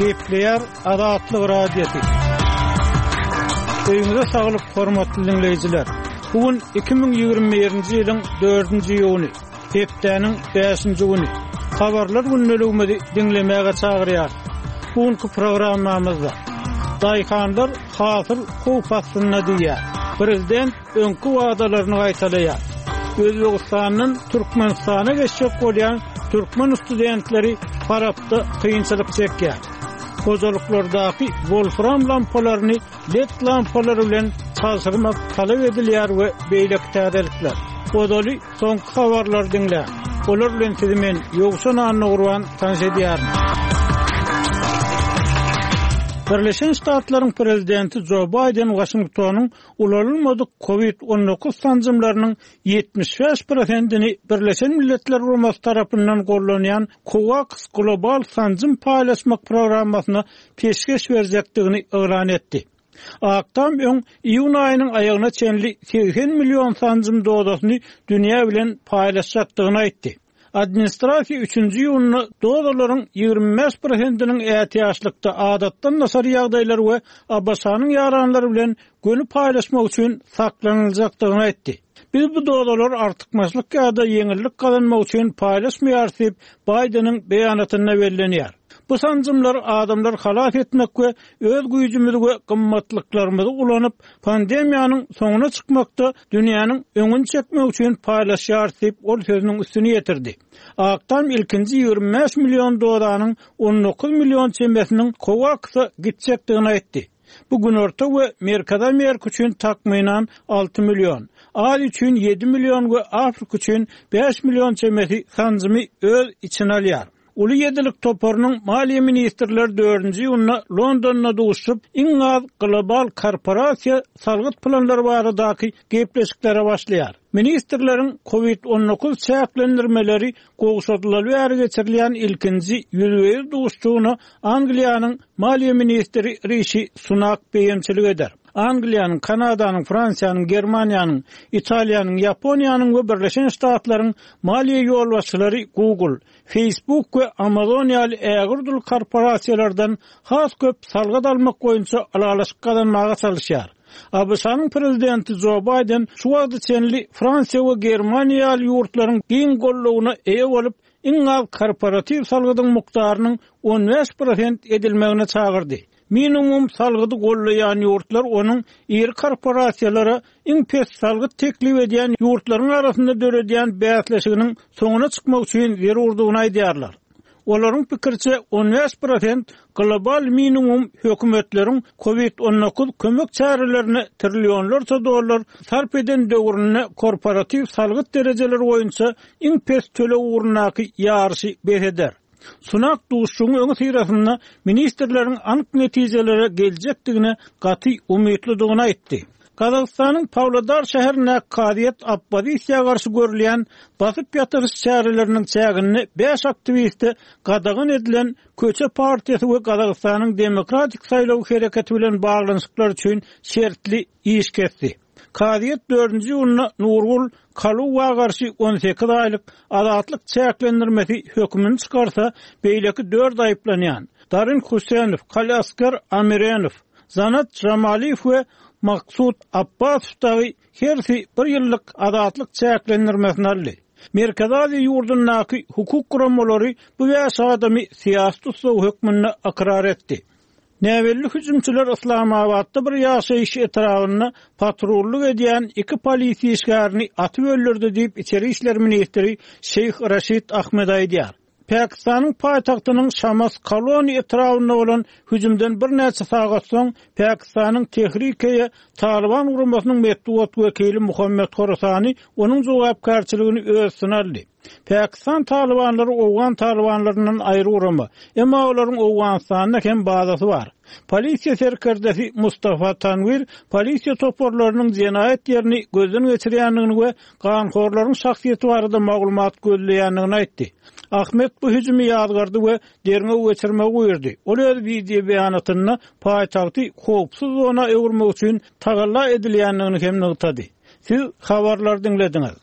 Gepleýär Azatlyk Radiosy. Öýüňize saglyk, hormatly diňleýjiler! Bu gün 2021-nji ýylyň dördünji iýuny, hepdäniň bäşinji güni. Habarlar gündeligimizi diňlemäge çagyrýarys. Bu günki programmamyzda Daýhanlar hasyl howp astynda diýýär. Prezident öňki wadalaryny gaýtalaýar. Özbegistandan Türkmenistana geçjek bolýan türkmen studentleri Farapda kynçylyk çekýär. Hojalyklardaky wolfram lampalaryny led lampalary bilen çalşyrmak talap edilýär we beýleki täzelikler. Ozaly soňky habarlary diňläň. Olar bilen sizi men, Ýowşan Annagurban tanyş edýärin. Birleşen Ştatlaryň prezidenti Jo Baýden Waşingtonyň ulanylmadyk Covid 19 sanjymlarynyň 75 prosentini Birleşen Milletler Guramasy tarapyndan gollanýan COVAX global sanjym paýlaşmak programmasyna peşgeş berjekdigini yglan etdi. Ak Tam öň iýun aýynyň aýagyna çenli 80 million sanjym dozasyny dünýä bilen paýlaşjakdygyny aýtdy. Administrasiýa üçünji iýunda dozalaryň 25 prosentiniň ätiýaçlykda adatdan daşary ýagdaýlar we ABŞ-nyň ýaranlary bilen göni paýlaşmak üçin saklanyljakdygyny aýtdy. Biz bu dozalary artykmaçlyk ýa-da ýeňillik gazanmak üçin paýlaşmaýarys diýip, Baýdeniň beýanatynda bellenýär. Bu sanjymlar adamlary halas etmek we öz güýjümizi we gymmatlyklarymyzy ulanyp, pandemiýanyň soňuna çykmakda dünýäniň öňüni çekmek üçin paýlaşýarys diýip, ol sözüniň üstüni ýetirdi. Ak Tam ilkinji 25 million dozanyň 19 million çemesiniň COVAX-a gitjekdigini aýtdy. Bu Günorta we Merkezi Amerika üçin takmynan 6 million, Aziýa üçin 7 million we Afrika üçin 5 million çemesi sanjymy öz içine alýar. Uly ýedilik toparynyň maliýe ministrleri dördünji iýunda Londonda duşuşyp, iň az global korporasiýa salgyt planlary baradaky gepleşiklere başlaýar. Ministrleriň Covid 19 çäklendirmeleri gowşadylaly bäri geçirilýän ilkinji ýüzbe-ýüz duşuşygyna Angliýanyň maliýe ministri Rişi Sunak beýemçilik eder. Angliýanyň, Kanadanyň, Fransiýanyň, Germaniýanyň, Italiýanyň, Ýaponiýanyň we Birleşen Ştatlaryň maliýe ýolbaşçylary Google, Facebook we Amazon ýaly ägirt uly korporasiýalardan has köp salgyt almak boýunça ylalaşyk gazanmaga çalyşýar. ABŞ-nyň prezidenti Jo Baýden şu wagta çenli Fransiýa we Germaniýa ýaly ýurtlaryň giň goldawyna eýe bolup, iň az korporatiw salgydyň mukdarynyň 15 prosent edilmegine çagyrdy. Minimum salgydy gollaýan ýurtlar onuň iri korporasiýalara iň pes salgyt teklip edýän ýurtlaryň arasynda döredýän bäsleşiginiň soňuna çykmak üçin zerurdygyny aýdýarlar. Olaryň pikiriçe, 15 prosent global minimum hökümetleriň Covid 19 kömek çärelerine trillionlarça dollar sarp eden döwründe korporatiw salgyt derejeleri boýunça iň pes töleg ugrundaky ýaryşy bes eder. Sunak duşuşygyň öňüsyrasynda ministrleriň anyk netijelere geljekdigine gaty umytlydygyny aýtdy. Gazagystanyň Pawlodar şäherindäki kazyýet oppozisiýa garşy görülýän basyp ýatyryş çäreleriniň çäginde bäş aktiwiste gadagan edilen Köçe partiýasy we Gazagystanyň Demokratik saýlaw hereketi bilen baglanyşyklar üçin şertli iş kesdi. Kazyýet dördünji iýunda Nurgul Kaluwa garşy 18 aýlyk azatlyk çäklendirmesi hökümini çykarsa, beýleki dört aýyplanýan, Darin Husenow, Kaliasker Amirenow, Zanat Jamaliýew we Maksut Apbasow dagy hersi bir ýyllyk azatlyk çäklendirmesini aldy. Merkezi Aziýa ýurdundaky hukuk guramalary bu bäş adamy syýasy tussag hökmünde ykrar etdi. Näbelli hüjümçiler Yslamabatda bir ýaşaýyş etrabynda patrullyk edýän iki polisiýa işgärini atyp öldürdi diýip, içeri işler ministri Şeýh Raşid Ahmed aýdýar. Pakistanyň paýtagtynyň Şamas Koloni etrabynda bolan hüjümden birnäçe sagat soň, Pakistanyň Tehrike-e Talyban guramasynyň metbugat wekili Muhammed Horasani onuň jogapkärçiligini öz üstüne aldy. Pakistan talybanlary owgan talybanlaryndan aýry gurama, emma olaryň Owganystanda hem bazasy bar. Polisiýa serkerdesi Mustafa Tanwir polisiýa toparlarynyň jenaýat ýerini gözden geçirýändigini we ganhorlaryň şahsyýeti barada maglumat gözleýändigini aýtdy. Ahmed bu hüjümi ýazgardy we derňew geçirmegi buýurdy. Ol öz wideo beýanatynda paýtagty howpsuz zona öwürmek üçin tagalla edilýändigini hem nygtady. Siz habarlary diňlediňiz.